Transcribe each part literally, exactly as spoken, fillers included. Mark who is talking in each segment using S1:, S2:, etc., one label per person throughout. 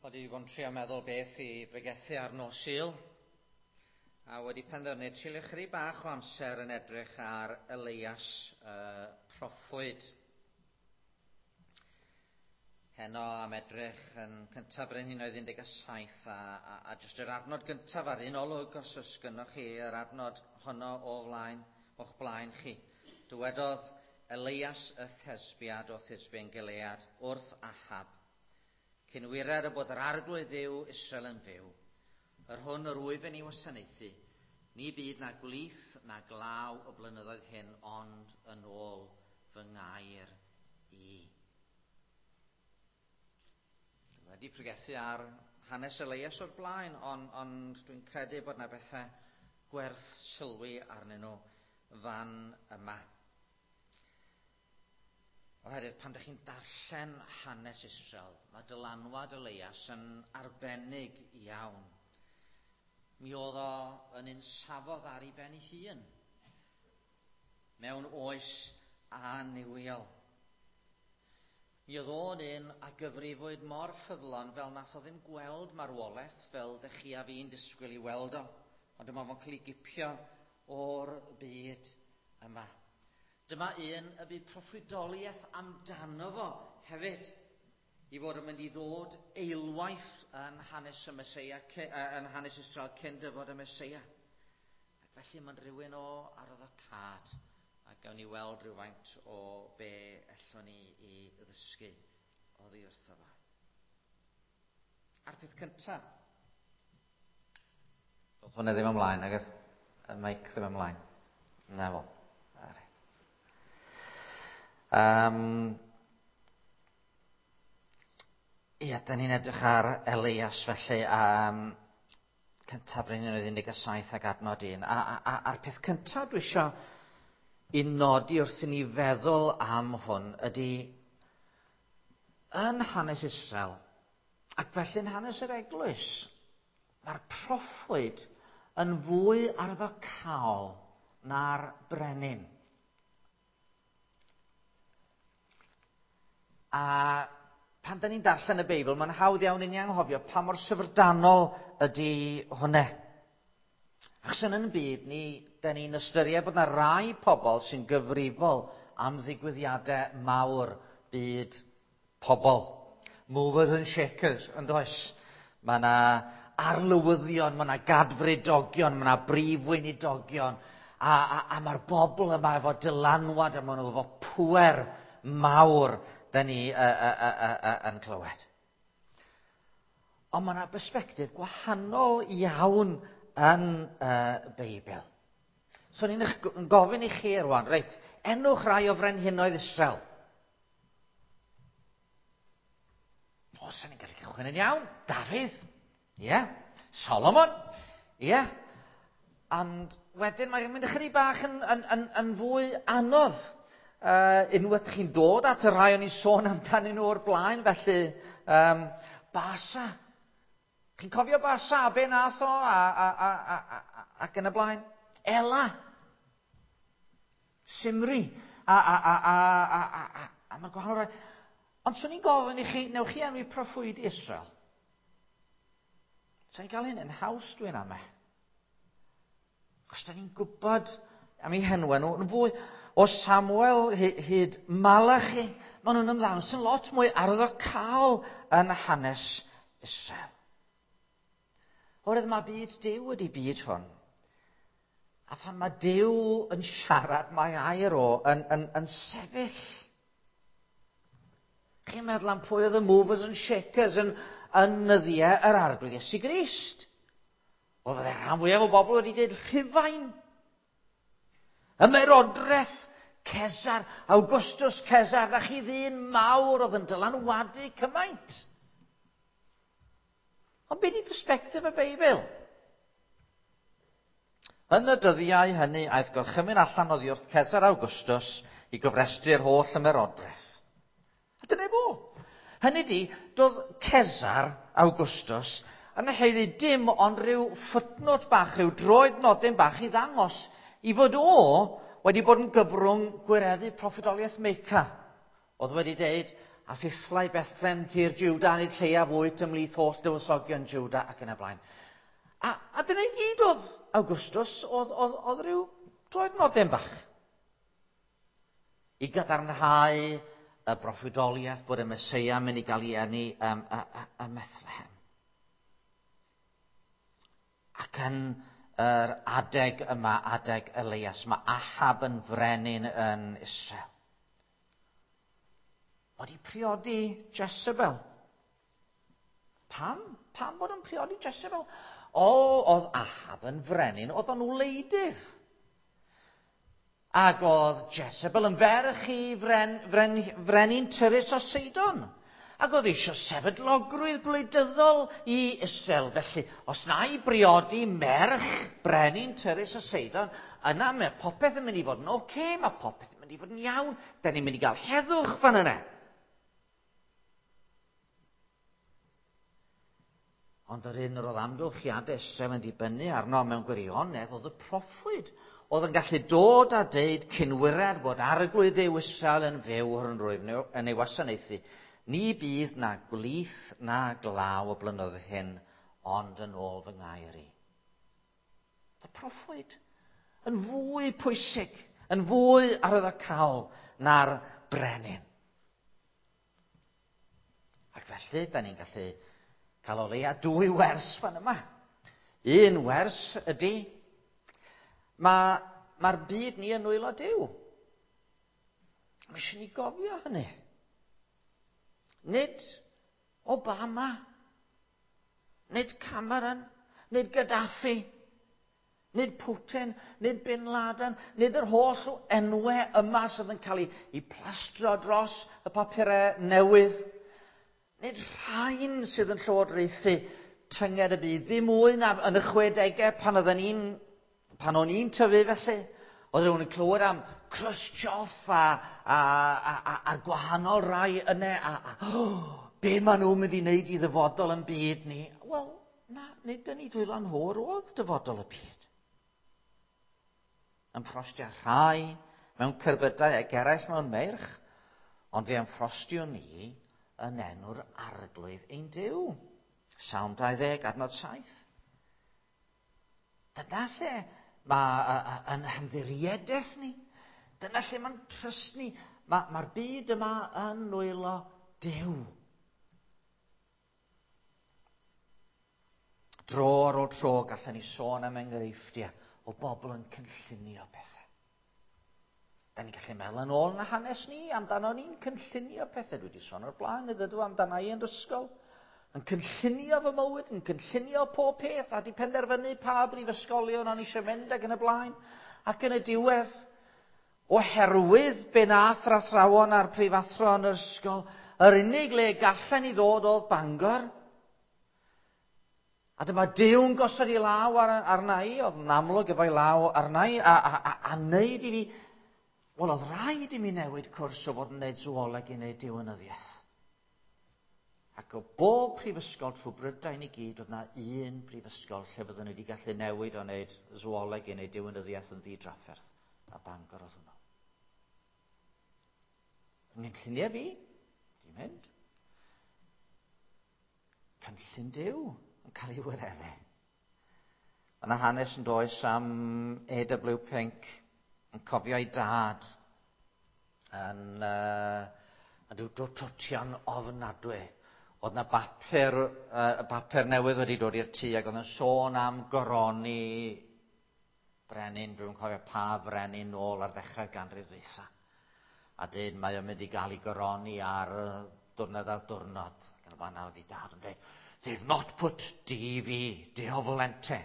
S1: Wel, dwi wedi bod yn trio meddwl beth i bregethu ar nos Sul, a wedi penderfynu treulio chydig bach o amser yn edrych ar Elias uh, proffwyd. Heno am edrych yn cyntaf Brenhinoedd un deg saith a, a, a jyst yr adnod gyntaf ar un olwg, os oes gynnoch chi yr adnod honno o flaen, o'ch blaen chi. Dywedodd Elias y Thesbiad o Thisbe yn Gilead wrth Ahab, cyn wired y bod yr arglwydd Dduw Israel yn fyw, yr hwn yr wyf yn ei wasanaethu, ni bydd na gwlith na glaw y blynyddoedd hyn, ond yn ôl fy ngair i. Dwi wedi pregethu ar hanes Elias o'r blaen, ond, ond dwi'n credu bod yna bethau gwerth sylwi arnyn nhw fan yma. Oherwydd pan ydych chi'n darllen hanes Israel, mae dylanwad Elias yn arbennig iawn. Mi oedd o yn un safodd ar ei ben ei hun, mewn oes annuwiol. Mi oedd o'n un a gyfrifwyd mor ffyddlon fel nath o ddim gweld marwolaeth fel dych chi a fi'n disgwyl i weld o, ond dyma fo'n cael ei gipio o'r byd yma. Dyma un y bu proffwydoliaeth amdano fo hefyd, i fod yn mynd i ddod eilwaith yn hanes y Meseia, yn hanes Israel cyn dyfod y Meseia. Ac felly mae'n rhywun o arwyddocâd, a gawn ni weld rhywfaint o be allwn ni i ddysgu oddi wrtho fo. A'r peth cyntaf, doedd hwnna ddim ymlaen, nag oedd y meic ddim ymlaen. Na fo. Um, ia, da ni'n edrych ar Elias felly, um, cyntaf Brenhinoedd un deg saith ac adnod un. A, a, a, a'r peth cyntaf dwi isio i nodi wrth i ni feddwl am hwn ydy yn hanes Israel, ac felly yn hanes yr eglwys, mae'r proffwyd yn fwy arddocaol na'r brenin. A pan da ni'n darllen y Beibl, mae'n hawdd iawn i ni anghofio pa mor syfrdanol ydy hwnna. Achos yn yn byd ni, da ni'n ystyried bod yna rai pobl sy'n gyfrifol am ddigwyddiadau mawr byd pobl. Movers and shakers, yn does? Mae yna arlywyddion, mae yna gadfridogion, mae yna brif weinidogion, a, a, a mae'r bobl yma efo dylanwad, a maen nhw efo pŵer mawr da ni uh, uh, uh, uh, yn clywed. Ond mae yna bersbectif gwahanol iawn yn y uh, Beibl. So ni'n yn gofyn i chi rwan, reit, enwch rai o frenhinoedd Israel. O, sa'n ni'n gallu cychwyn yn iawn. Dafydd, ie. Yeah. Solomon, ie. Yeah. Ond wedyn mae'n mynd ychydig bach yn, yn, yn, yn fwy anodd. Uh, unwaith chi'n dod at y rhai o'n i'n sôn amdanyn nhw o'r blaen, felly um, Basa. Chi'n cofio Basa, a be nath o, a, a, a, a, a, ac yn y blaen? Ela. Simri. A, a, a, a, a, a, a, a mae'r gwahanol rai. Ond swn i'n gofyn i chi, newch chi enwi proffwyd Israel? Sa'n ni'n cael hyn yn haws dwi'n amau. Achos da ni'n gwybod am eu henwau nhw yn fwy. O Samuel hyd Malachi, maen nhw'n ymddangos yn lot mwy arwyddocaol yn hanes Israel. Oherwydd mae byd Duw ydy byd hwn. A phan mae Duw yn siarad, mae air o yn, yn, yn sefyll. Chi'n meddwl am pwy oedd y movers and shakers yn, yn nyddiau yr Arglwydd Iesu Grist? Wel, fydde rhan fwyaf o bobl wedi dweud Rhufain. Ymerodraeth Cesar, Augustus Cesar, na chi ddyn mawr oedd yn dylanwadu cymaint. Ond be di perspectif y Beibl? Yn y dyddiau hynny, aeth gorchymyn allan oddi wrth Cesar Augustus i gofrestru'r holl ymerodraeth. A dyna fo. Hynny di, doedd Cesar Augustus yn haeddu dim ond rhyw footnote bach, rhyw droed nodyn bach i ddangos i fod o wedi bod yn gyfrwng gwireddu proffwydoliaeth Meica. Oedd wedi deud, a thithlau Bethlehem tir Juda, nid lleiaf wyt ymhlith holl dywysogion Juda ac yn y blaen. A, a dyna i gyd oedd Augustus, oedd, oedd, oedd rhyw droednodyn bach. I gadarnhau y broffwydoliaeth bod y Meseia yn mynd i gael ei eni ym, ym Methlehem. Ac yn yr adeg yma, adeg Elias, mae Ahab yn frenin yn Israel. Wedi priodi Jezebel. Pam? Pam bod yn priodi Jezebel? O, oedd Ahab yn frenin, oedd o'n wleidydd. Ac oedd Jezebel yn ferch i fren, fren, frenin Tyrus a Seidon. Ac oedd eisiau sefydlogrwydd gwleidyddol i Israel. Felly, os na i briodi merch brenin Tyrus a Seidon, yna mae popeth yn mynd i fod yn oce, okay, mae popeth yn mynd i fod yn iawn. Da ni'n mynd i gael heddwch fan yna. Ond yr un yr oedd amgylchiadau Israel yn dibynnu arno mewn gwirionedd oedd y proffwyd. Oedd yn gallu dod a deud cynwyriad bod arglwydd Dduw Israel yn fyw yn rwyf yn ei wasanaethu. Ni bydd na gwlith na glaw y blynyddoedd hyn, ond yn ôl fy ngair i. Y proffwyd yn fwy pwysig, yn fwy arwyddocaol na'r brenin. Ac felly, da ni'n gallu cael o leia dwy wers fan yma. Un wers ydy, mae'r ma byd ni yn nwylo Duw. Mae eisiau ni gofio hynny. Nid Obama, nid Cameron, nid Gaddafi, nid Putin, nid Bin Laden, nid yr holl enwau yma sydd yn cael ei, ei plastro dros y papurau newydd. Nid rhain sydd yn llywodraethu tynged y byd, ddim mwy na yn y chwedegau pan oedden ni'n, pan o'n i'n tyfu felly. Oedd rhywun yn clywed am Khrushchev a, a, a, a, a'r gwahanol rai yna, a, a oh, be maen nhw'n mynd i wneud i ddyfodol yn byd ni? Wel, na, nid yn ei dwylo nhw oedd dyfodol y byd. Yn ffrostio rhai mewn cerbydau ac eraill mewn meirch, ond fe ymffrostio ni yn enw'r arglwydd ein Duw. Salm dau ddeg, adnod saith. Dyna lle mae yn hymddiriedaeth ni. Dyna lle mae'n trust ni. Mae'r ma byd yma yn nwylo Duw. Dro ar ôl tro gallwn ni sôn am enghreifftiau o bobl yn cynllunio pethau. Da ni'n gallu meddwl yn ôl yn hanes ni amdano ni'n cynllunio pethau. Dwi wedi sôn o'r blaen, ydw amdano i yn ysgol. Yn cynllunio fy mywyd, yn cynllunio pob peth, a di penderfynu pa brifysgolion o'n eisiau mynd ac yn y blaen. Ac yn y diwedd, oherwydd be nath yr athrawon a'r prifathro yn yr ysgol, yr unig le gallen ni ddod oedd Bangor. A dyma Duw'n gosod ei law ar, arna i, oedd yn amlwg efo'i law arna i, a, a, a, a wneud i fi, wel, oedd rhaid i mi newid cwrs o fod yn wneud zooleg i wneud diwinyddiaeth. Ac o bob prifysgol trwy Brydain i gyd, oedd na un prifysgol lle byddwn ni wedi gallu newid o wneud zooleg i wneud diwinyddiaeth yn ddidrafferth. A Bangor oedd hwnnw. Yng nghynlluniau fi, di mynd. Cynllun Duw yn cael ei wireddu. Mae yna hanes yn does am A W Pink yn cofio ei dad yn, uh, yn rhyw dwtio'n ofnadwy. Oedd na bapur, uh, bapur newydd wedi dod i'r tŷ ac oedd yn sôn am goroni brenin, dwi'n cofio pa frenin nôl ar ddechrau'r ganrif ddwytha. A dyn mae o'n mynd i gael ei goroni ar diwrnod ar diwrnod. Ac yn y fan oedd ei dad yn dweud, they've not put D V, Deo Volente.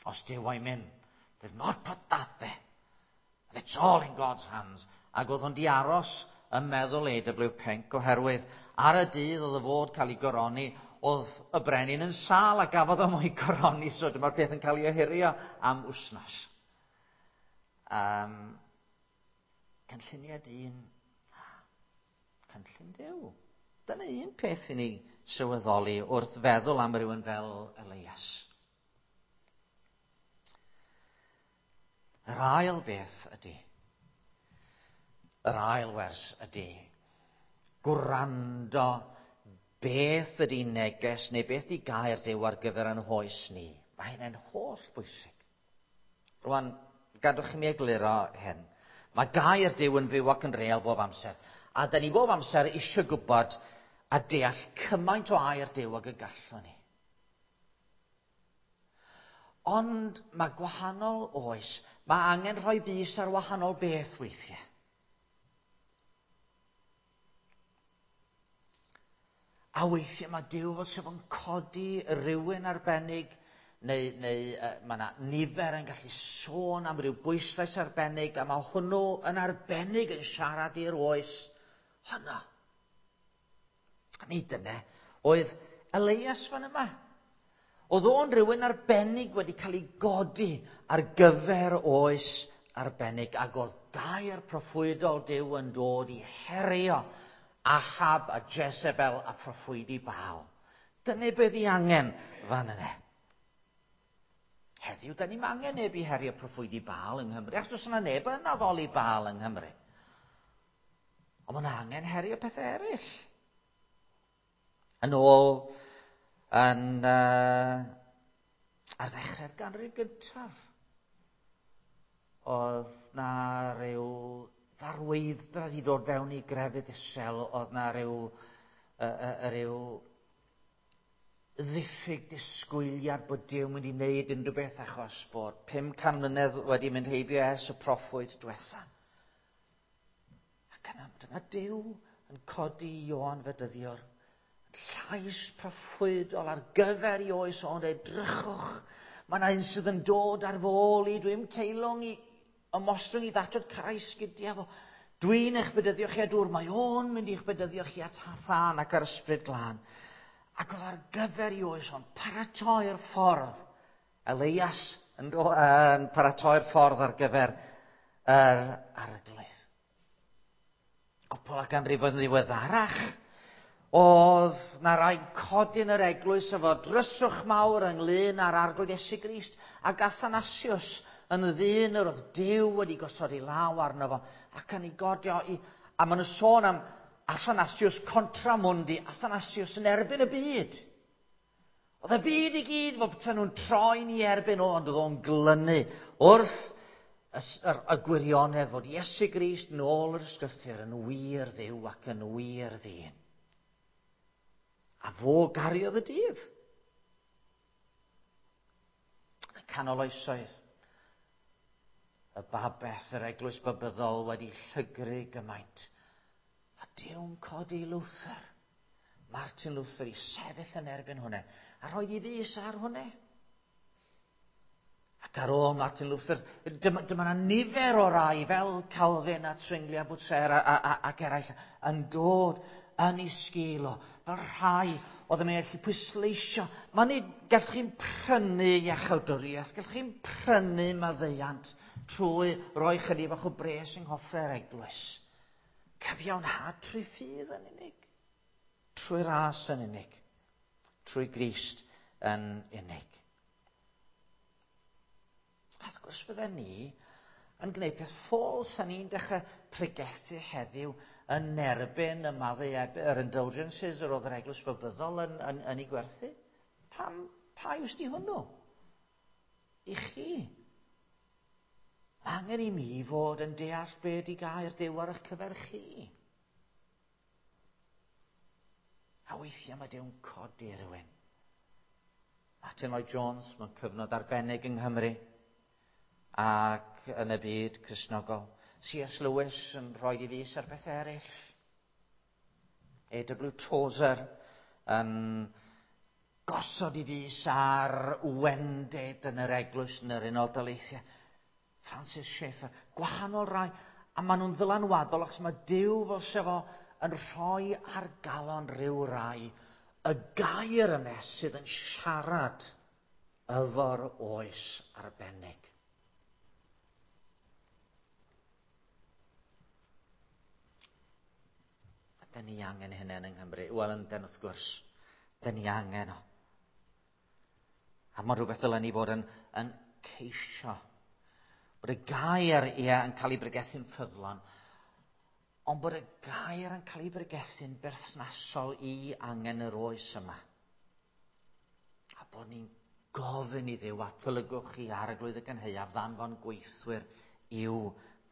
S1: Os Duw o'i mynd, they've not put that there. And it's all in God's hands. Ac oedd o'n di aros yn meddwl A W Pink oherwydd ar y dydd oedd y fod cael ei goroni, oedd y brenin yn sâl a gafodd o mo'i goroni, so dyma'r peth yn cael ei ohirio am wsnos. Um, cynlluniau dyn, cynllun Duw. Dyna un peth i ni sylweddoli wrth feddwl am rywun fel Elias. Yr ail beth ydy, yr ail wers ydy, Gwrando beth ydy neges neu beth ydy gair Duw ar gyfer yn hoes ni. Mae hynny'n holl bwysig. Rwan, gadwch i mi egluro hyn. Mae gair Duw yn fyw ac yn real bob amser. A da ni bob amser eisiau gwybod a deall cymaint o air Duw ag y gallwn ni. Ond mae gwahanol oes. Mae angen rhoi bys ar wahanol beth weithiau. A weithiau mae Duw fel sef yn codi rhywun arbennig, neu, neu uh, mae yna nifer yn gallu sôn am ryw bwyslais arbennig, a mae hwnnw yn arbennig yn siarad i'r oes honno. A nid dyna oedd Elias fan yma. Oedd o'n rhywun arbennig wedi cael ei godi ar gyfer oes arbennig, ac oedd gair proffwydol Duw yn dod i herio Ahab a Jezebel a proffwydi Baal. Dyna beth i angen fan yna. Heddiw, da ni'n angen neb i herio proffwydi Baal yng Nghymru, achos does yna neb yn addoli Baal yng Nghymru. Ond mae'n angen herio pethau eraill. Yn ôl yn, uh, ar ddechrau'r ganrif gyntaf, oedd na ryw farweiddra wedi dod fewn i grefydd Israel, oedd na ryw, uh, uh, ryw ddiffyg disgwyliad bod Duw mynd i wneud unrhyw beth achos bod pum can mlynedd wedi mynd heibio ers y proffwyd diwetha. Ac yna, dyma Duw yn codi Ioan Fedyddiwr, llais proffwydol ar gyfer i oes o'n edrychwch. Mae yna un sydd yn dod ar fy ôl i, dwi'n teilwng i ymostwng i ddatod crais gyda fo. Dwi'n eich bedyddio chi â dŵr, mae o'n mynd i'ch bedyddio chi â thân ac ar ysbryd glân. Ac oedd ar gyfer i oes o'n paratoi'r ffordd. Elias yn, yn paratoi'r ffordd ar gyfer yr Arglwydd. Gwpl o ganrifoedd yn ddiweddarach, oedd na rai codi yn yr eglwys efo dryswch mawr ynglyn â'r Arglwydd Iesu Grist ac Athanasius yn ddyn yr oedd Duw wedi gosod ei law arno fo ac yn ei godio i, a maen nhw'n sôn am Athanasius contra mundi, Athanasius yn erbyn y byd. Oedd y byd i gyd fel petai nhw'n troi'n ei erbyn o, ond oedd o'n glynu wrth y, y, y gwirionedd fod Iesu Grist yn ôl yr ysgrythur yn wir Dduw ac yn wir ddyn. A fo gariodd y dydd. Yn y canol oesoedd, y babell, yr eglwys babyddol wedi llygru gymaint. A Duw'n codi Luther, Martin Luther, i sefyll yn erbyn hwnna, a rhoi i fys ar hwnna. Ac ar ôl Martin Luther, dyma, dyma na nifer o rai fel Calvin a Zwingli a Butzer a, a, a, ac eraill yn dod yn ei sgil o, fel rhai oedd yn gallu pwysleisio. Mae'n nid, gallwch chi'n prynu iachawdwriaeth, gallwch chi'n prynu maddeuant trwy roi chydig bach o bres yng nghoffre'r eglwys. Cyfiawnhad trwy ffydd yn unig, trwy ras yn unig, trwy Grist yn unig. A wrth gwrs fydden ni yn gwneud peth ffôl a ni'n dechrau pregethu heddiw yn erbyn y maddau, yr indulgences yr oedd yr eglwys babyddol yn, yn, yn ei gwerthu. Pam, pa iws di hwnnw? I chi. Mae angen i mi fod yn deall be di gair Duw ar eich cyfer chi. A weithiau mae Duw'n codi rhywun. Martin Lloyd Jones, mewn cyfnod arbennig yng Nghymru ac yn y byd Cristnogol. C S Lewis yn rhoi i fys ar beth eraill. A W Tozer yn gosod i fys ar wendid yn yr eglwys yn yr Unol Daleithiau. Francis Schaeffer, gwahanol rai, a maen nhw'n ddylanwadol achos mae Duw fel sef o yn rhoi ar galon rhyw rai y gair yna sydd yn siarad efo'r oes arbennig. A da ni angen hynny yng Nghymru. Wel, ynden wrth gwrs, da ni angen o. A mae rhywbeth dylen ni fod yn, yn ceisio. Bod y gair, ie, yn cael ei bregethu'n ffyddlon, Ond bod y gair yn cael ei bregethu'n berthnasol i angen yr oes yma. A bod ni'n gofyn i Dduw, atolygwch chi Arglwydd y gynhaeaf, ddanfon gweithwyr i'w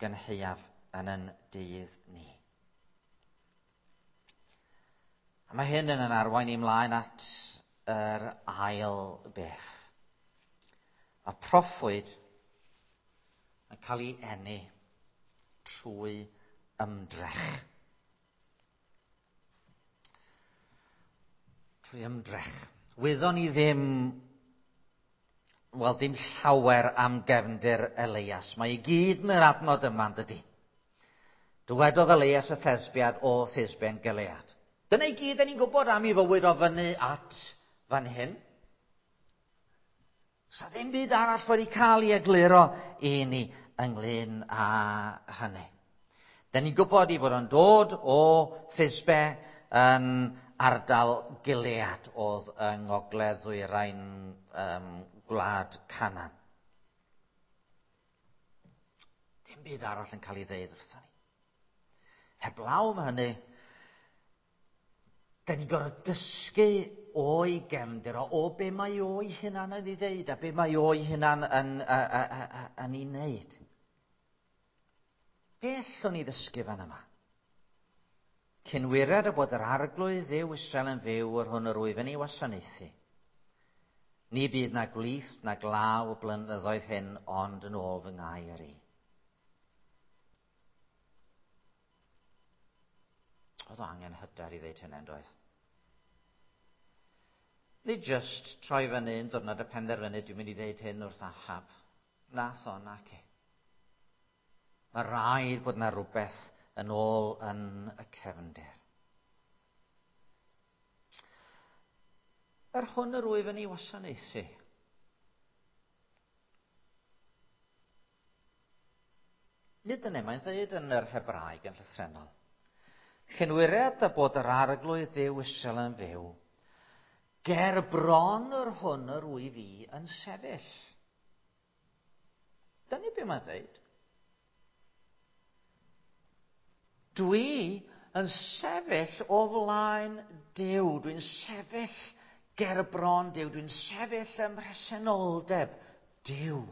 S1: gynhaeaf yn yn dydd ni. A mae hyn yn arwain i mlaen at yr ail beth. A proffwyd yn cael ei eni trwy ymdrech. Trwy ymdrech. Wyddon ni ddim, wel dim llawer am gefndir Elias. Mae i gyd yn yr adnod yma, yn dydi? Dywedodd Elias y Thesbiad o Thisbe yn Gilead. Dyna i gyd ni'n gwybod am ei fywyd o fyny at fan hyn. Sa ddim byd arall wedi cael ei egluro i ni ynglyn â hynny. Da ni'n gwybod ei fod o'n dod o Thisbe yn ardal Gilead oedd yng ngogledd ddwyrain um, gwlad Canaan. Dim byd arall yn cael ei ddeud wrthon ni. Heblaw am hynny, da ni'n gorfod dysgu o'i gefndir o, o be mae o'i hunan yn ei ddeud a be mae o'i hunan yn, yn ei wneud. Be allwn ni ddysgu fan yma? Cyn wired y bod yr Arglwydd Dduw Israel yn fyw yr hwn yr wyf yn ei wasanaethu. Ni bydd na gwlith na glaw y blynyddoedd hyn ond yn ôl fy ngair i. Oedd o angen hyder i ddeud hynny, yn doedd? Nid just troi fyny un diwrnod a penderfynu dwi'n mynd i ddeud hyn wrth Ahab. Nath o, nac e. Mae rhaid bod yna rhywbeth yn ôl yn y cefndir. Yr hwn yr wyf yn ei wasanaethu. Nid yna, mae'n dweud yn yr Hebraeg yn llythrennol. Cyn wired a bod yr Arglwydd Dduw Israel yn fyw, ger bron yr hwn yr wyf i yn sefyll. Dyna be mae'n dweud. Dwi yn sefyll o flaen Duw. Dwi'n sefyll ger bron Duw. Dwi'n sefyll ym mhresenoldeb Duw.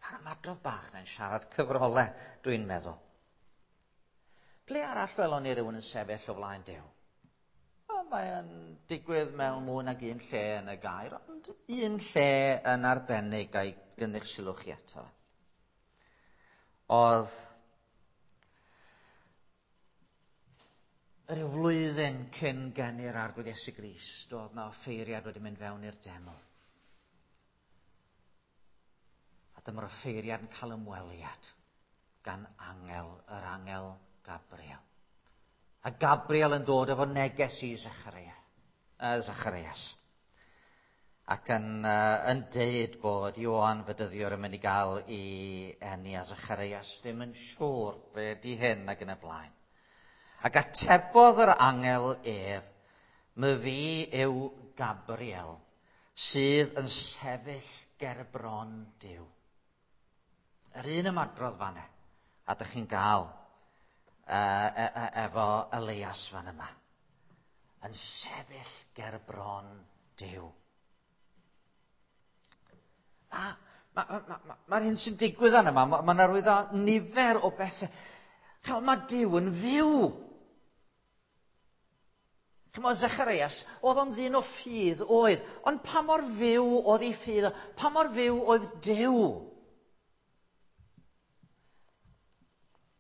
S1: Mae'r ymadrodd bach na'n siarad cyfrolau, dwi'n meddwl. Ble arall welon ni rywun yn sefyll o flaen Duw? O, mae'n digwydd mewn mwy nag un lle yn y gair, ond un lle yn arbennig a'i gynnig sylw chi eto. Oedd rhyw flwyddyn cyn geni'r Arglwydd Iesu Grist, oedd na offeiriad wedi mynd fewn i'r deml. A dyma'r offeiriad yn cael ymweliad gan angel, yr angel Gabriel. A Gabriel yn dod efo neges i Zacharias. Zacharias. Ac yn, uh, yn deud bod Ioan Fedyddiwr yn mynd i gael ei eni, a Zacharias ddim yn siŵr be di hyn ac yn y blaen. Ac atebodd yr angel ef, my fi yw Gabriel, sydd yn sefyll ger bron Duw. Yr un ymadrodd fanne, a dych chi'n gael uh, e, e, efo Elias fan yma. Yn sefyll ger bron Duw. Mae'r ma, ma, ma, ma, ma hyn sy'n digwydd yna, mae'n ma, ma arwyddo nifer o bethau. Chymod, mae Duw yn fyw. Chymod, Zacharias, oedd o'n ddyn o ffydd, oedd. Ond pa mor fyw oedd ei ffydd? Pa mor fyw oedd Duw?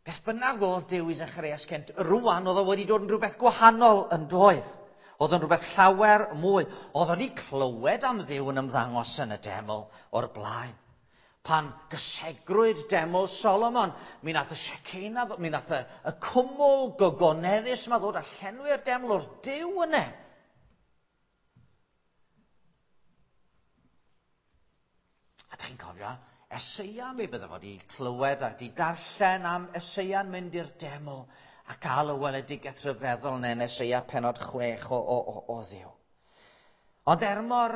S1: Beth bynnag oedd Duw i Zacharias cynt, rwan oedd o wedi dod yn rhywbeth gwahanol yn doedd. Oedd o'n rhywbeth llawer mwy. Oedd o'n i clywed am Dduw yn ymddangos yn y deml o'r blaen. Pan gysegrwyd deml Solomon, mi nath y Shekinah, mi nath y, y cwmwl gogoneddus yma ddod a llenwi'r deml o'r Duw yna. A da chi'n cofio, Eseia, mi bydde fod i clywed a di darllen am Eseia'n mynd i'r deml a cael y weledigaeth rhyfeddol yna yn Eseia pennod chwech o, o, o, o Dduw. Ond er mor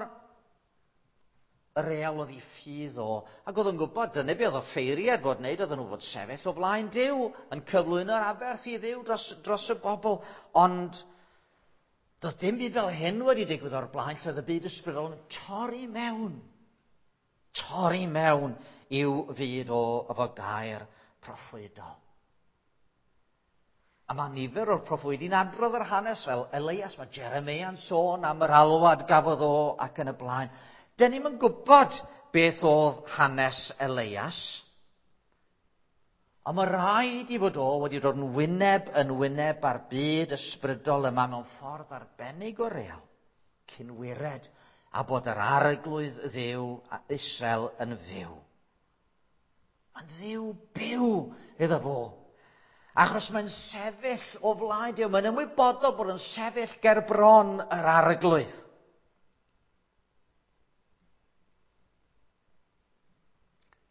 S1: real oedd ei ffydd o, ac oedd yn gwybod, dyna be oedd offeiriad fod wneud, oedden nhw fod sefyll o flaen Duw, yn cyflwyno'r aberth i Dduw dros, dros y bobl, ond doedd dim byd fel hyn wedi digwydd o'r blaen, lle oedd y byd ysbrydol yn torri mewn, torri mewn i'w fyd o efo gair proffwydol. A mae nifer o'r proffwydi'n adrodd yr hanes fel Elias, mae Jeremia'n sôn am yr alwad gafodd o ac yn y blaen. Dyn ni'm yn gwybod beth oedd hanes Elias, ond mae rhaid i fod o wedi dod yn wyneb yn wyneb ar byd ysbrydol yma mewn ffordd arbennig o real, cyn wired a bod yr arglwydd Dduw a Israel yn fyw. Mae'n Dduw byw iddo fo. Achos mae'n sefyll o flaen Duw, mae'n ymwybodol bod yn sefyll ger bron yr arglwydd.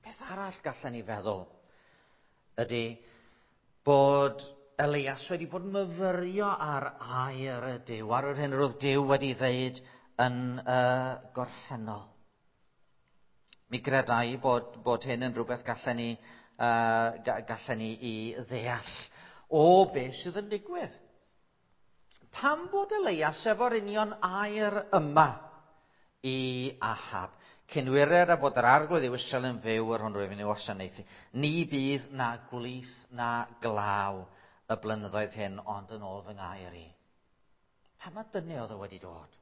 S1: Beth arall gallen ni feddwl ydy bod Elias wedi bod yn myfyrio ar air y Duw, ar yr hyn yr oedd Duw wedi ddeud yn y gorffennol. Mi gredai bod, bod hyn yn rhywbeth gallen ni, uh, gallen ni i ddeall o beth sydd yn digwydd. Pam bod Elias efo'r union air yma i Ahab? Cyn wired a bod yr arglwydd yw Israel yn fyw yr hwn rwyf yn ei wasanaethu. Ni bydd na gwlith na glaw y blynyddoedd hyn, ond yn ôl fy ngair i. Pam mae dyna oedd o wedi dod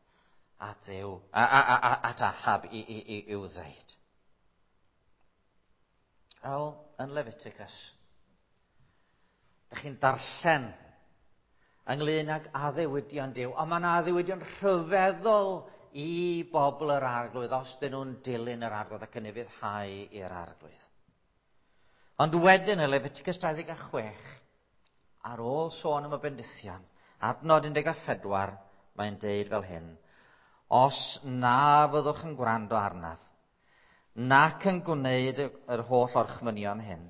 S1: at Dduw, a, a, a, a, at Ahab i, i, i, i'w ddeud? Wel, yn Leviticus, dych chi'n darllen ynglyn ag addewidion Duw, ond mae yna addewidion rhyfeddol i bobl yr arglwydd os dyn nhw'n dilyn yr arglwydd ac yn ufuddhau i'r arglwydd. Ond wedyn yn Leviticus dau ddeg a chwech, ar ôl sôn am y bendithion, adnod un deg a phedwar, mae'n deud fel hyn: os na fyddwch yn gwrando arnaf, nac yn gwneud yr holl orchmynion hyn,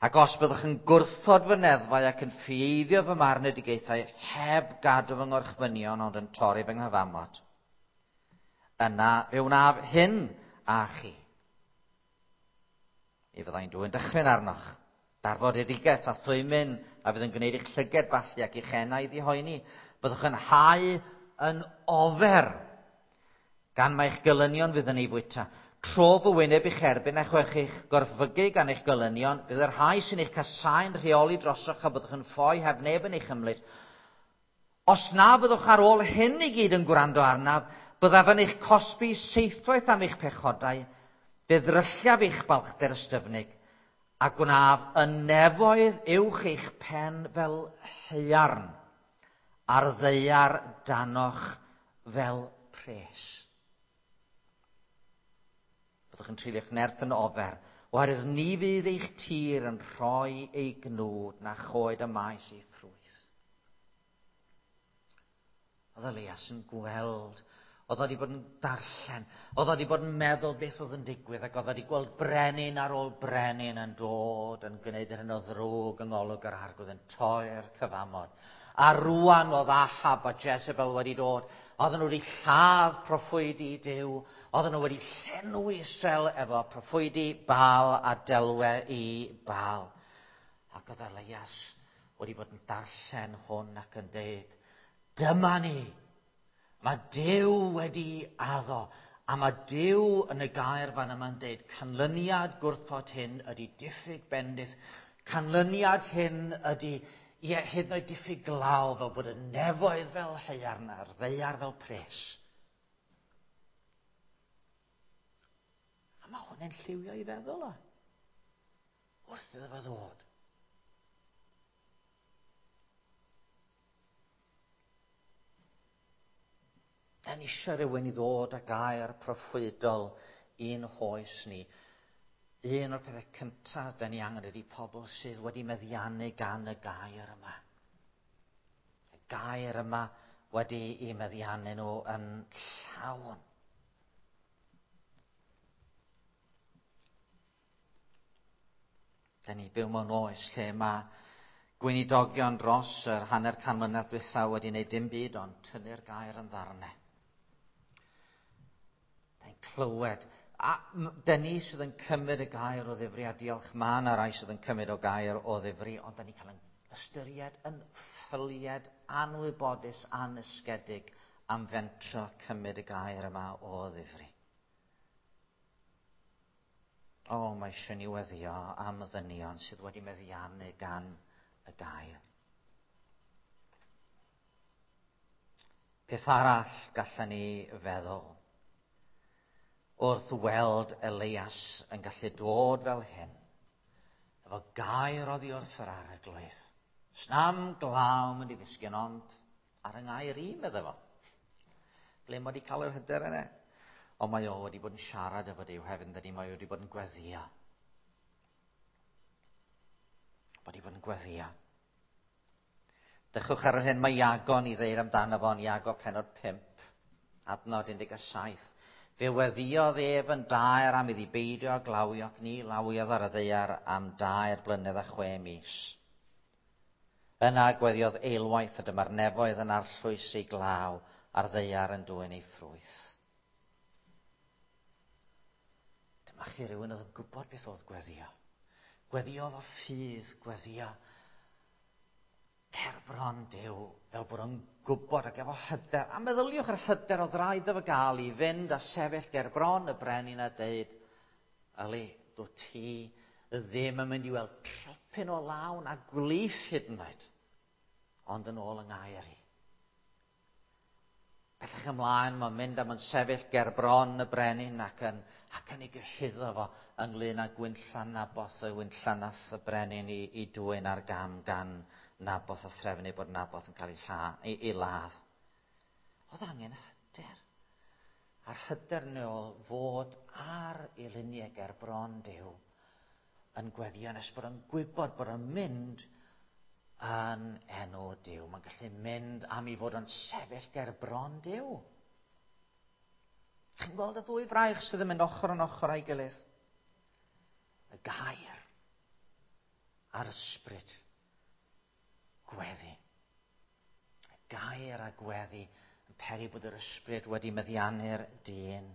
S1: ac os byddwch yn gwrthod fy neddfau ac yn ffieiddio fy marnedigaethau heb gadw fy ngorchmynion ond yn torri fy nghyfamod, yna fe wnaf hyn â chi. Mi fyddai'n dwyn dychryn arnoch, darfodedigaeth a thwymyn a fydd yn gwneud eich llyged ballu ac eich enau ddihoeni. Byddwch yn hau yn ofer, gan mai'ch gelynion fydd yn ei fwyta. Tro fy wyneb i'ch erbyn a chwech eich gorfygu gan eich gelynion, bydd yr rhai sy'n eich casáu'n rheoli drosoch a byddwch yn ffoi heb neb yn eich ymlid. Os na fyddwch ar ôl hyn i gyd yn gwrando arnaf, byddaf yn eich cosbi seithwaith am eich pechodau, fe ddrylliaf eich balchder ystyfnig, a gwnaf y nefoedd uwch eich pen fel haearn, a'r ddaear danoch fel pres. Byddwch yn treulio'ch nerth yn ofer, oherwydd ni fydd eich tir yn rhoi ei gnwd na choed y maes ei ffrwyth. Oedd Elias yn gweld, oedd wedi bod yn darllen, oedd wedi bod yn meddwl beth oedd yn digwydd, ac oedd wedi gweld brenin ar ôl brenin yn dod yn gwneud yr hyn o ddrwg yng ngolwg yr arglwydd, yn torri'r cyfamod. A rwan oedd Ahab a Jezebel wedi dod, oedden nhw wedi lladd proffwydi Duw, oedden nhw wedi llenwi Israel efo proffwydi Baal a delwe i Baal. Ac oedd Elias wedi bod yn darllen hwn ac yn deud, dyma ni, mae Duw wedi addo, a mae Duw yn y gair fan yma'n deud, canlyniad gwrthod hyn ydy diffyg bendith, canlyniad hyn ydy, ie, hyd yn oed diffyg glaw, fel bod y nefoedd fel haearn a'r ddaear fel pres. A mae hwn yn lliwio i feddwl o, wrth iddo fo ddod. Da ni eisiau rhywun i ddod â gair proffwydol i'n hoes ni. Un o'r pethau cyntaf da ni angen ydy pobl sydd wedi meddiannu gan y gair yma. Y gair yma wedi eu meddiannu nhw yn llawn. Da ni byw mewn oes lle mae gweinidogion dros yr hanner can mlynedd dwytha wedi gwneud dim byd ond tynnu'r gair yn ddarnau. Clywed A dyn ni sydd yn cymryd y gair o ddifri, a diolch ma' 'na rai sydd yn cymryd o gair o ddifri, ond dyn ni cael yn ystyried yn ffylied anwybodus, anysgedig am fentro cymryd y gair yma o ddifri. O, mae eisiau ni weddio am y ddynion sydd wedi meddiannu gan y gair. Peth arall gallen ni feddwl wrth weld Elias yn gallu dod fel hyn, efo gair oddi wrth yr arglwydd. Snam glaw mynd i ddisgyn ond ar yng ngair i, medde fo. Ble mae wedi cael yr hyder yna? Ond mae o wedi bod yn siarad efo Duw hefyd, dydy, mae o wedi bod yn gweddio. Wedi bod yn gweddio. Dechwch ar yr hyn mae Iago yn ei ddeud amdano fo yn Iago penod pump, adnod un deg saith. Fe weddiodd ef yn daer am iddi beidio â glawio ac ni lawiodd ar y ddaear am dair blynedd a chwe mis. Yna gweddiodd eilwaith a dyma'r nefoedd yn arllwys ei glaw a'r ddaear yn dwyn ei ffrwyth. Dyma chi rhywun oedd yn gwybod beth oedd gweddio. Gweddio efo ffydd, gweddio gerbron Duw, fel bod o'n gwybod ac efo hyder. A meddyliwch yr hyder oedd rhaid iddo fo gael i fynd a sefyll gerbron y brenin a deud, Yli, dwi ti ddim yn mynd i weld tropyn o lawn a gwlith hyd yn oed, ond yn ôl yng ngair i. Bellach ymlaen, mae'n mynd a mae'n sefyll gerbron y brenin ac yn, ac yn ei gyhuddo fo ynglyn â gwynllan Naboth, y gwynllan nath y brenin i, i dwyn ar gam gan Naboth a threfnu bod Naboth yn cael ei, lla, ei, ei ladd. Oedd angen hyder. A'r hyder nôl fod ar ei luniau ger bron Duw yn gweddio nes bod yn gwybod bod yn mynd yn enw Duw. Mae'n gallu mynd am ei fod yn sefyll ger bron Duw. Chi'n gweld y ddwy fraich sydd yn mynd ochr yn ochr â'i gilydd? Y gair a'r ysbryd. Gweddi. Y gair a gweddi yn peri bod yr ysbryd wedi meddiannu'r dyn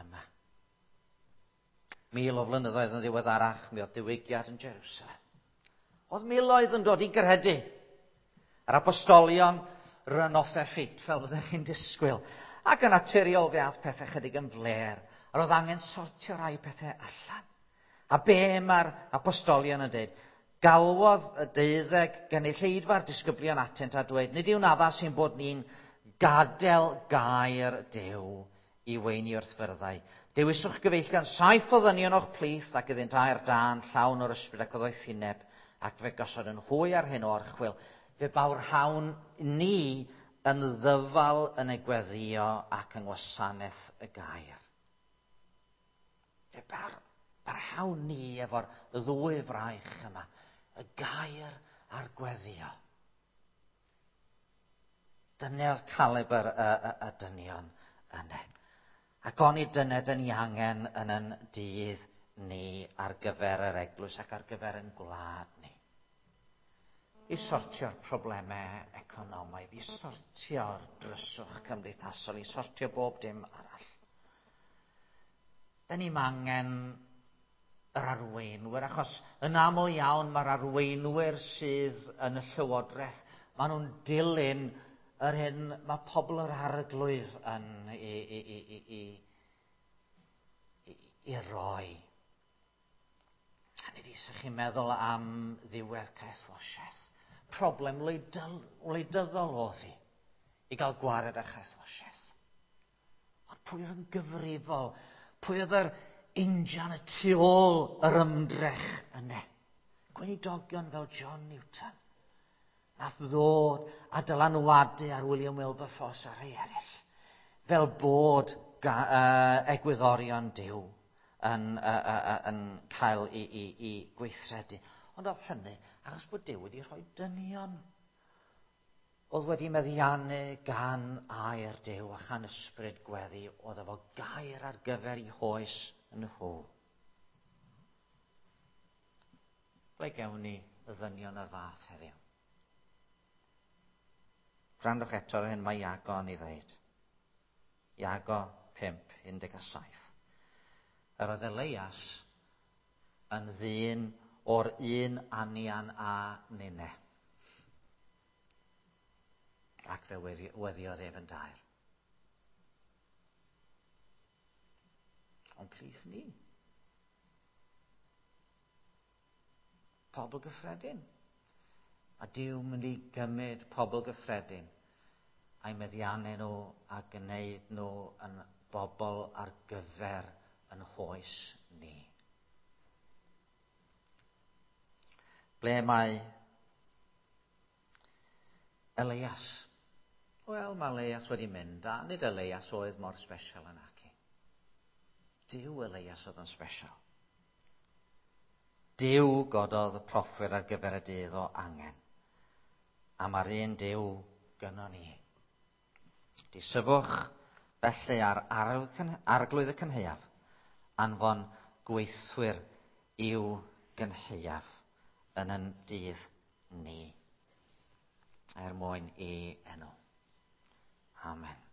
S1: yma. Mil o flynyddoedd yn ddiweddarach, mi oedd diwygiad yn Jerusalem. Oedd miloedd yn dod i gredu. Yr apostolion run off their feet, fel byddech chi'n disgwyl. Ac yn naturiol fe ath pethau chydig yn fler. A roedd angen sortio rai pethau allan. A be mae'r apostolion yn dweud? Galwodd y deuddeg gynulleidfa'r disgyblion atynt a dweud, nid yw'n addas i'n bod ni'n gadael gair Duw i weini wrth fyrddau. Dewiswch gyfeillion saith o ddynion o'ch plith ac iddynt air dân llawn o'r ysbryd ac o ddoethineb, ac fe gosod yn hwy ar hyn o orchwyl. Fe bawrhawn ni yn ddyfal yn y gweddio ac yng ngwasanaeth y gair. Fe bar, barhawn ni efo'r ddwy fraich yma, y gair a'r gweddio. Dyna oedd calibr y, y, y dynion yna. Ac onid dyna dyn ni angen yn yn dydd ni ar gyfer yr eglwys ac ar gyfer yn gwlad ni. I sortio'r problemau economaidd, i sortio'r dryswch cymdeithasol, i sortio bob dim arall. Dyn ni'm angen yr arweinwyr, achos yn aml iawn mae'r arweinwyr sydd yn y llywodraeth, maen nhw'n dilyn yr hyn mae pobl yr arglwydd yn i, i, i, i, i, i, i roi. A nid eisiau chi'n meddwl am ddiwedd caethwasiaeth. Problem wleidyddol oedd hi i gael gwared â chaethwasiaeth. Ond pwy oedd yn gyfrifol? Pwy oedd yr injan y tu ôl yr ymdrech yna? Gweinidogion fel John Newton. Nath ddod a dylanwadu ar William Wilberforce a rhai eraill. Fel bod ga, uh, egwyddorion Duw yn, uh, uh, uh, yn cael i, i, i gweithredu. Ond oedd hynny achos bod Duw wedi rhoi dynion oedd wedi meddiannu gan air Duw a chan ysbryd gweddi, oedd efo gair ar gyfer ei hoes nhw. Ble gewn ni y ddynion o'r fath heddiw? Gwrandwch eto ar hyn mae Iago yn ei ddeud. Iago pump, un deg saith. Yr oedd Elias yn ddyn o'r un anian a ninne. Ac fe weddiodd ef yn daer. Ond plith ni. Pobl gyffredin. A Duw mynd i gymryd pobl gyffredin a'i meddiannu nhw a gwneud nhw yn bobl ar gyfer yn hoes ni. Ble mae Elias? Wel, mae Elias wedi mynd, a nid Elias oedd mor special yn aci. Duw Elias oedd yn special. Duw gododd y proffwyd ar gyfer y dydd o angen. A mae'r un Duw gynnon ni. Disyfwch felly ar arglwydd y cynhaeaf, anfon gweithwyr i'w gynhaeaf yn yn dydd ni, er mwyn i enw. Amen.